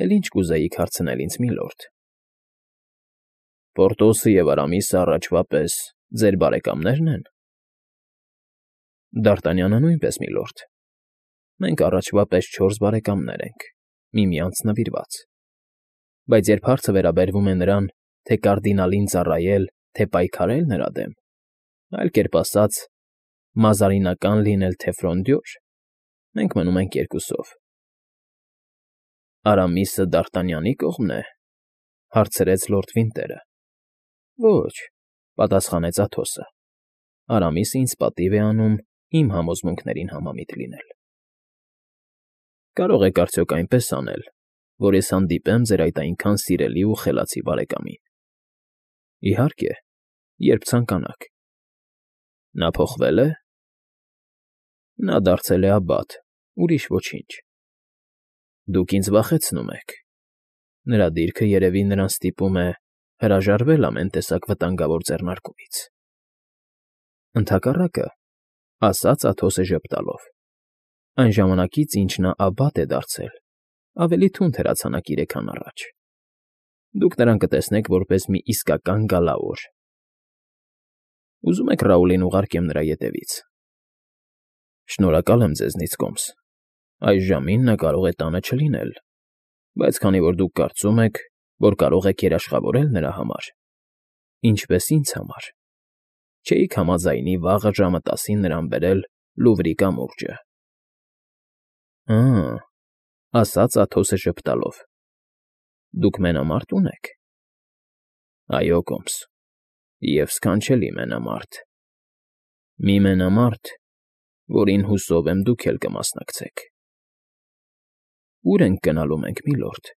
էլ ինչ կուզեիք հարցնել ինձ, միլորդ։ Պորտոսը և Արամիսը առաջվա պես ձեր բարեկամնե՞րն են։ Դ'Արտանյանը նույնպես, միլորդ։ Մենք առաջվա պես 4 բարեկամներ ենք, միմյանց նվիրված։ Բայց երբ հարցը վերաբերվում է նրան, թե կարդինալին ծառայել, թե պայքարել նրա դեմ, այլ կերպ ասած, մազարինական լինել, թե ֆրոնդյոր, մենք մնում ենք երկուսով։ Արամիսը Դ'Արտանյանի կողմն է,֊ հարցրեց լորդ Վինտերը։ Ոչ,֊ պատասխանեց Աթոսը։ Արամիսը ինձ պատիվ է անում իմ համոզմունքներին համամիտ լինել։ Կարող եք արդյոք այնպես անել, որ ես հանդիպեմ ձեր այդ այնքան սիրելի ու խելացի բարեկամին։ Իհարկե, երբ ցանկանաք։ Նա փոխվե՞լ է։ Նա դարձել է աբբատ, ուրիշ ոչինչ։ Դուք ինձ վախեցնում եք։ Նրա դիրքը երևի նրան ստիպում է հրաժարվել ամեն տեսակ վտանգավոր ձեռնարկումից։ Ընդհակառակը,֊ ասաց Աթոսը ժպտալով,֊ այն ժամանակից, ինչ նա աբբատ է դարձել, ավելի թունդ հրացանակիր է, քան առաջ։ Դուք նրան կտեսնեք որպես մի իսկական գալաոր։ Ուզում եք Ռաուլին ուղարկեմ նրա ետևից։ Շնորհակալ եմ ձեզնից, կոմս։ Այս ժամին նա կարող է տանը չլինել, բայց քանի որ դուք կարծում եք, որ կարող եք երաշխավորել նրա համար, ինչպես ինձ համար, չէիք համաձայնի վաղը ժամը 10-ին նրան բերել Լուվրի կամուրջը։ Ա՛,֊ ասաց Աթոսը ժպտալով,֊ դուք մենամարտ ունեք։ Այո, կոմս, և սքանչելի մենամարտ։ Մի մենամարտ, որին հուսով եմ դուք էլ կմասնակցեք։ Ո՞ւր ենք գնալու մենք, միլորդ։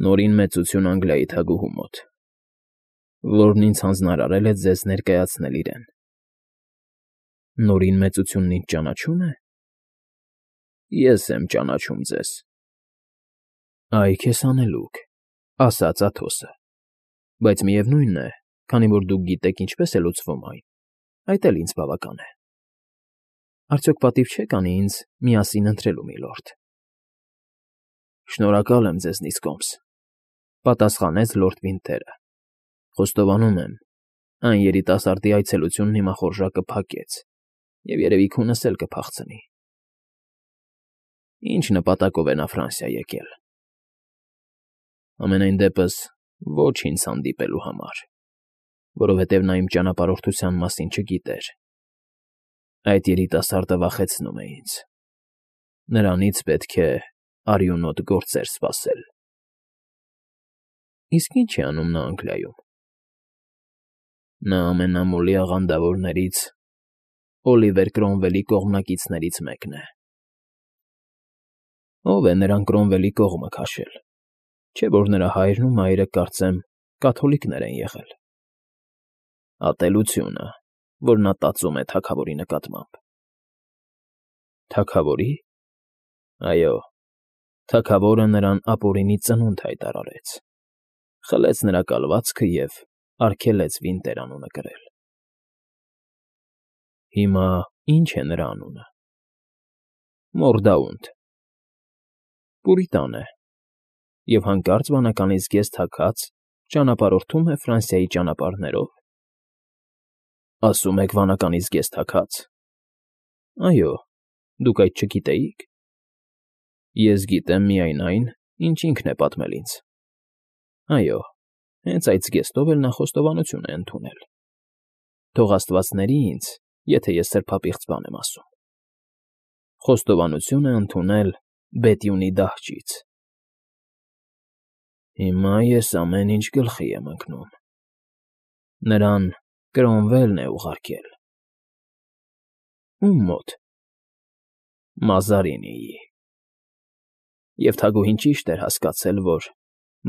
Նորին մեծություն Անգլիայի թագուհու մոտ, որն ինձ հանձնարարել է ձեզ ներկայացնել իրեն։ Նորին մեծությունն ինձ ճանաչո՞ւմ է։ Ես եմ ճանաչում ձեզ։ Այ քեզ հանելուկ,֊ ասաց Աթոսը,֊ բայց միևնույն է, քանի որ դուք գիտեք ինչպես է լուծվում այն, այդ էլ ինձ բավական է։ Արդյոք պատիվ չեք անի ինձ միասին ընթրելու, միլորդ։ Շնորհակալ եմ ձեզնից, կոմս,֊ պատասխանեց լորդ Վինտերը։ Խոստովանում եմ, այն երիտասարդի այցելությունն հիմա խորժակը փակեց և երևի քունս էլ կփախցնի։ Ինչ նպատակով է նա Ֆրանսիա եկել։ Համենայն դեպս ոչ ինձ հանդիպելու համար, որովհետև նա իմ ճանապարհորդության մասին չգիտեր։ Այդ երիտասարդը վախեցնում է ինձ։ Նրանից պետք է արյունոտ գործեր սպասել։ Իսկ ի՞նչ է անում նա Անգլիայում։ Նա ամենամոլի աղանդավորներից, Օլիվեր Կրոմվելի կողմնակիցներից մեկն է։ Ո՞վ է նրան Կրոմվելի կողմը քաշել, չէ՞ որ նրա հայրն ու մայրը, կարծեմ, կաթոլիկներ են եղել։ Ատելությունը, որ նա տածում է թագավորի նկատմամբ։ Թագավորի՞։ Այո, թագավորը նրան ապօրինի ծնունդ հայտարարեց, խլեց նրա կալվածքը և արգելեց Վինտեր անունը կրել։ Հիմա ի՞նչ է նրա անունը։ Մորդաունտ։ Պուրիտան է և հանկարծ վանականից զգեստ թագած ճանապարհորդում է Ֆրանսիայի ճանապարհներով։ Ասում եք վանականից զգեստ թագած։ Այո, դուք այդ չգիտեիք։ Ես գիտեմ միայն այն, ինչ ինքն է պատմել ինձ։ Այո, հենց այդ զգեստով էլ նա խոստովանություն է ընդունել։ Թող աստված ների ինձ, եթե ես սրբապիղծ բան եմ ասում։ Խոստովանություն է ընդունել Բետյունի դահճից։ Հիմա ես ամեն ինչ գլխի եմ ընկնում։ Նրան Կրոմվելն է ուղարկել։ Ո՞ւմ մոտ։ Մազարինիի։ Եվ թագուհին ճիշտ էր հասկացել, որ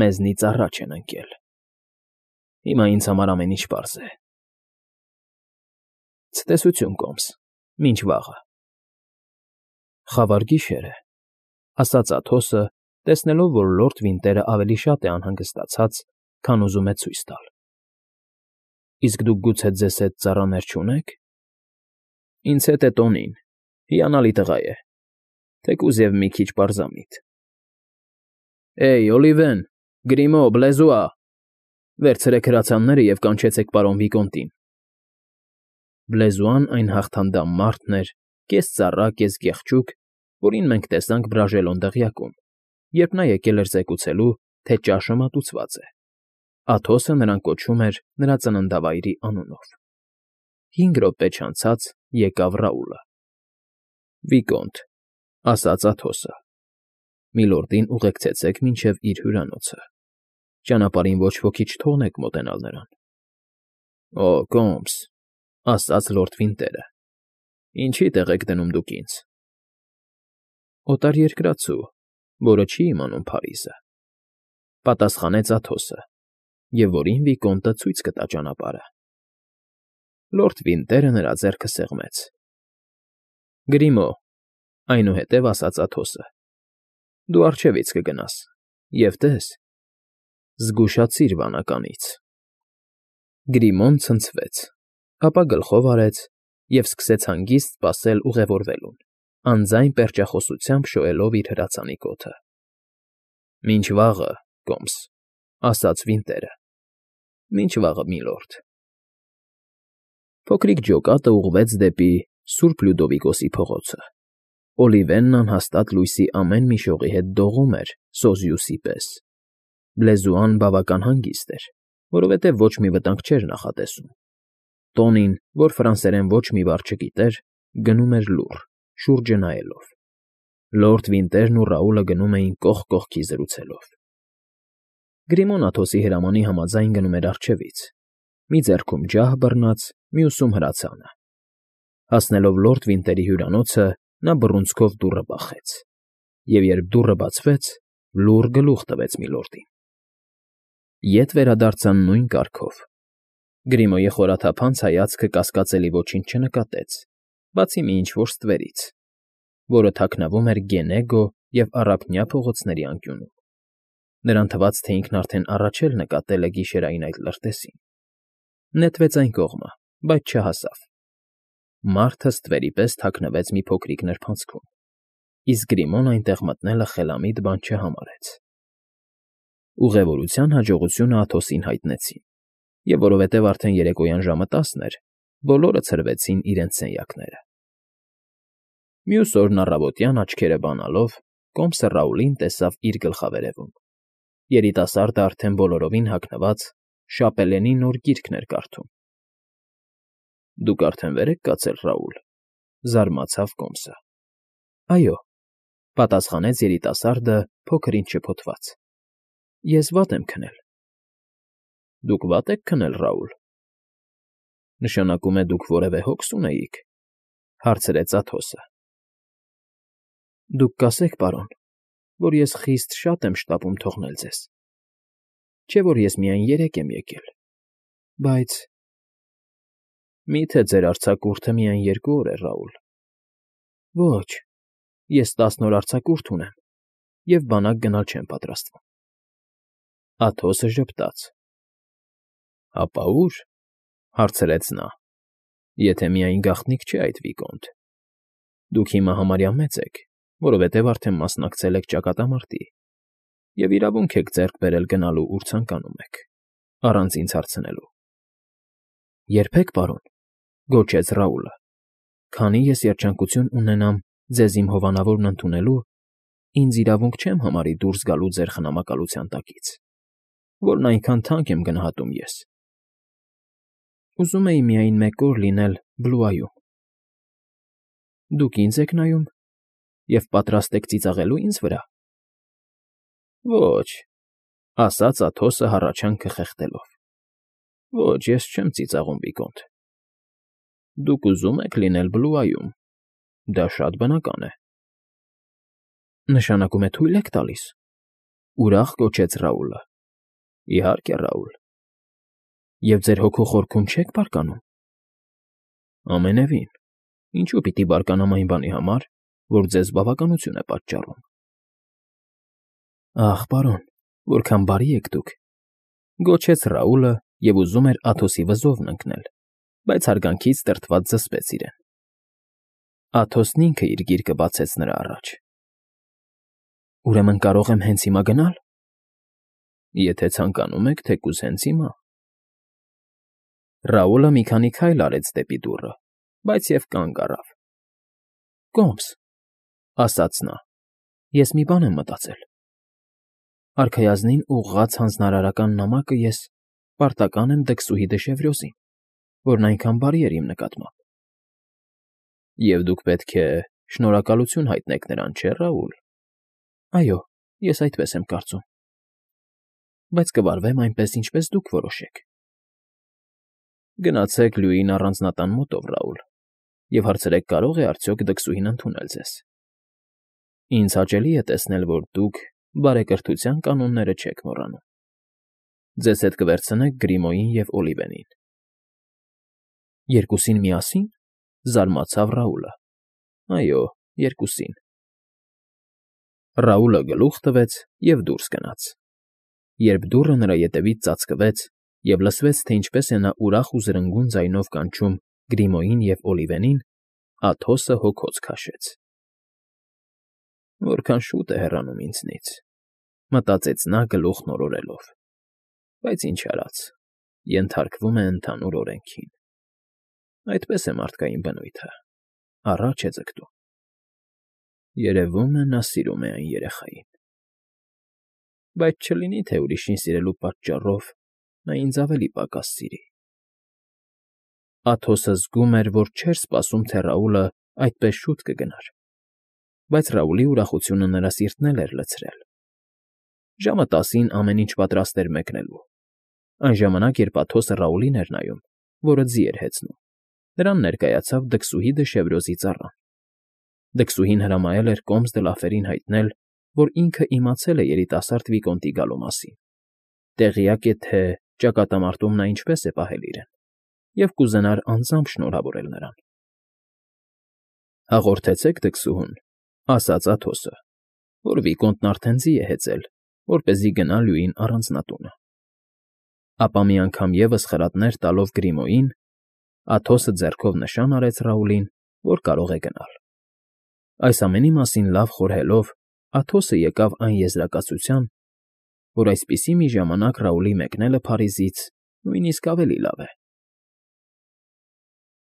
մեզնից առաջ են ընկել։ Հիմա ինձ համար ամեն ինչ պարզ է։ Ցտեսություն, կոմս, մինչ վաղը։ Խավար գիշեր է,֊ ասաց Աթոսը, տեսնելով, որ լորդ Վինտերը ավելի շատ է անհանգստացած, քան ուզում է ցույց տալ։ Իսկ դուք գուցե ձեզ հետ ծառաներ չունե՞ք։ Ինձ հետ է Տոնին, հիանալի տղա է, թեկուզ և մի քիչ պարզամիտ։ Էյ, Օլիվեն, Գրիմո, Բլեզուա, վերցրեք հրացանները և կանչեցեք պարոն Վիկոնտին։ Բլեզուան այն հաղթանդամ մարդն էր, կես ծառա, կես գեղչուկ, որին մենք տեսանք Բրաժելոն դղյակում, երբ նա եկել էր զեկուցելու, թե ճաշը մատուցված է։ Աթոսը նրան կոչում էր նրա ծննդավայրի անունով։ 5 րոպե չանցած եկավ Ռաուլը։ Վիկոնտ, ասաց Աթոսը, միլորդին ուղեկցեցեք մինչև իր հյուրանոցը։ Ճանապարհին ոչ ոքի չթողնեք մոտենալ նրան։ Օ, Կոմս, ասաց լորդ Վինտերը, ինչի տեղ եք դնում դուք ինձ։ Օտարերկրացու, որը չի իմանում Փարիզը, պատասխանեց Աթոսը, և որին Վիկոնտը ցույց կտա ճանապարհը։ Լորդ Վինտերը նրա ձեռքը սեղմեց։ Գրիմո, այնուհետև ասաց Աթոսը, դու առջևից կգնաս, և տես, զգուշացիր վանականից։ Գրիմոն ցնցվեց, ապա գլխով արեց և սկսեց հանգիստ սպասել ուղևորվելուն, անձայն պերճախոսությամբ շոյելով իր հրացանի կոթը։ Մինչ վաղը, Կոմս, ասաց Վինտերը, մինչ վաղը, միլորդ։ Փոքրիկ ջոկատը ուղղվեց դեպի Սուրբ Լյուդովիկոսի փողոցը։ Օլիվենն անհաստատ լույսի ամեն մի շողի հետ դողում էր Սոզիուսի պես։ Բլեզուան բավական հանգիստ էր, որովհետև ոչ մի վտանգ չէր նախատեսում։ Տոնին, որ ֆրանսերեն ոչ մի բառ չգիտեր, գնում էր լուռ, շուրջը նայելով։ Լորդ Վինտերն ու Ռաուլը գնում էին կողք կողքի զրուցելով։ Գրիմոն Աթոսի հրամանի համաձայն գնում էր առջևից, մի ձեռքում ջահ բռնած, մյուսում հրացանը։ Հասնելով լորդ Վինտերի հյուրանոցը, նա բռունցքով դուռը բախեց, և երբ դուռը բացվեց, լուռ գլուխ տվեց միլորդին։ Ետ վերադարձան նույն կարգով։ Գրիմոյի խորաթափանց հայացքը կասկածելի ոչինչ չնկատեց, բացի մի ինչ֊որ ստվերից, որը թաքնվում էր Գենեգո և Առափնյա փողոցների անկյունում։ Նրան թվաց, թե ինքն արդեն առաջ էլ նկատել է գիշերային այդ լրտեսին։ Նետվեց այն կողմը, բայց չհասավ։ Մարդը ստվերի պես թաքնվեց մի փոքրիկ նրբանցքում, իսկ Գրիմոն այնտեղ մտնելը խելամիտ բան չհամարեց։ Ուղևորության հաջողությունը Աթոսին հայտնեցին, և որովհետև արդեն երեկոյան ժամը 10 էր, բոլորը ցրվեցին իրենց սենյակները։ Մյուս օրն առավոտյան աչքերը բանալով, Կոմսը Ռաուլին տեսավ իր գլխավերևում։ Երիտասարդը արդեն բոլորովին հագնված շապելենի նոր գիրքն էր կարդում։ Դուք արդեն վեր եք կացել, Ռաուլ, զարմացավ Կոմսը։ Այո, պատասխանեց երիտասարդը փոքր ինչ շփոթված։ Ես վատ եմ քնել։ Դուք վատ եք քնել, Ռաուլ։ Նշանակում է դուք որևէ հոգս ունեիք, հարցրեց Աթոսը։ Դուք կասեք, պարոն, որ ես խիստ շատ եմ շտապում թողնել ձեզ։ Չէ՞ որ ես միայն 3 եմ եկել, բայց… Մի՞թե ձեր արձակուրդը միայն 2 օր է, Ռաուլ։ Ոչ, ես 10 օր արձակուրդ ունեմ և բանակ գնալ չեմ պատրաստվում։ Աթոսը ժպտաց։ Հապա ո՞ւր, հարցրեց նա, եթե միայն գաղտնիք չէ այդ Վիկոնտ։ Դուք հիմա համարյա մեծ եք, որովհետև արդեն մասնակցել եք ճակատամարտի և իրավունք եք ձեռք բերել գնալու, ուր ցանկանում եք, առանց ինձ հարցնելու։ Երբեք, պարոն, գոչեց Ռաուլը, քանի ես երջանկություն ունենամ ձեզ իմ հովանավորն ընդունելու, ինձ իրավունք չեմ համարի դուրս գալու ձեր խնամակալության տակից, որն այնքան թանկ եմ գնահատում ես։ Ուզում էի միայն 1 օր լինել Բլուայում։ Դուք ինձ եք նայում և պատրաստ եք ծիծաղելու ինձ վրա։ Ոչ, ասաց Աթոսը հառաչանքը խեղդելով։ Ոչ, ես չեմ ծիծաղում, Վիկոնտ։ Դուք ուզում եք լինել Բլուայում, դա շատ բնական է։ Նշանակում է թույլ եք տալիս, ուրախ կոչեց Ռաուլը։ Իհարկե, Ռաուլ։ Եվ ձեր հոգու խորքում չեք բարկանում։ Ամենևին, ինչու պիտի բարկանամ այն բանի համար, որ ձեզ բավականություն է պատճառում։ Ախ, պարոն, որքան բարի եք դուք, գոչեց Ռաուլը և ուզում էր Աթոսի վզովն ընկնել, բայց հարգանքից տրտված զսպեց իրեն։ Աթոսն ինքը իր գիրկը բացեց նրա առաջ։ Ուրեմն կարող եմ հենց հիմա գնալ։ Եթե ցանկանում եք, թեկուզ հենց հիմա։ Ռաուլը մի քանի քայլ արեց դեպի դուռը, բայց և կանգ առավ։ Կոմս, ասաց նա, ես մի բան եմ մտածել։ Արքայազնին ուղղված հանձնարարական նամակը ես պարտական եմ դքսուհի Դեշևրյոսին, որն այնքան բարի էր իմ նկատմամբ։ Եվ դուք պետք է շնորհակալություն հայտնեք նրան, չէ՞, Ռաուլ։ Այո, ես այդպես եմ կարծում։ Բայց կվարվեմ այնպես, ինչպես դուք որոշեք։ Գնացեք Լյուին առանձնատան մոտով, Ռաուլ, և հարցրեք կարող է արդյոք դքսուհին ընդունել ձեզ։ Ինձ հաճելի է տեսնել, որ դուք բարեկրթության կանոնները չեք մոռանում։ Ձեզ հետ կվերցնեք Գրիմոյին և Օլիվենին։ Երկուսին միասի՞ն,֊ զարմացավ Ռաուլը։ Այո, երկուսին։ Ռաուլը գլուխ տվեց և դուրս գնաց։ Երբ դուռը նրա ետևից ծածկվեց և լսվեց, թե ինչպես է նա ուրախ ու զրնգուն ձայնով կանչում Գրիմոյին և Օլիվենին, Աթոսը հոգոց քաշեց։ Որքան շուտ է հեռանում ինձնից, մտածեց նա գլուխն օրորելով, բայց ինչ արած, ենթարկվում է ընդհանուր օրենքին։ Այդպես է մարդկային բնույթը, առաջ է ձգտում։ Երևում է, նա սիրում է այն երեխային։ Բայց չլինի, թե ուրիշին սիրելու պատճառով նա ինձ ավելի պակաս սիրի։ Աթոսը զգում էր, որ չէր սպասում, թե Ռաուլը այդպես շուտ կգնար, բայց Ռաուլի ուրախությունը նրա սիրտն էլ էր լցրել։ Ժամը 10-ին ամեն ինչ պատրաստ էր մեկնելու։ Այն ժամանակ, երբ Աթոսը Ռաուլին էր նայում, որը ձի էր հեծնում, նրան ներկայացավ դքսուհի Դեշևրյոսի ծառան։ Դքսուհին հրամայել էր Կոմս Դլաֆերին հայտնել, որ ինքը իմացել է երիտասարդ վիկոնտի գալու մասին, տեղյակ է, թե ճակատամարտում նա ինչպես է պահել իրեն, և կուզենար անձամբ շնորհավորել նրան։ Հաղորդեցեք դքսուհուն, ասաց Աթոսը, որ վիկոնտն արդեն ձի է հեծել, որպեսզի գնա Լյուին առանձնատունը։ Ապա մի անգամ ևս խրատներ տալով Գրիմոյին, Աթոսը ձեռքով նշան արեց Ռաուլին, որ կարող է գնալ։ Այս ամենի մասին լավ խորհելով, Աթոսը եկավ այն եզրակացության, որ այսպիսի մի ժամանակ Ռաուլի մեկնելը Փարիզից նույնիսկ ավելի լավ է,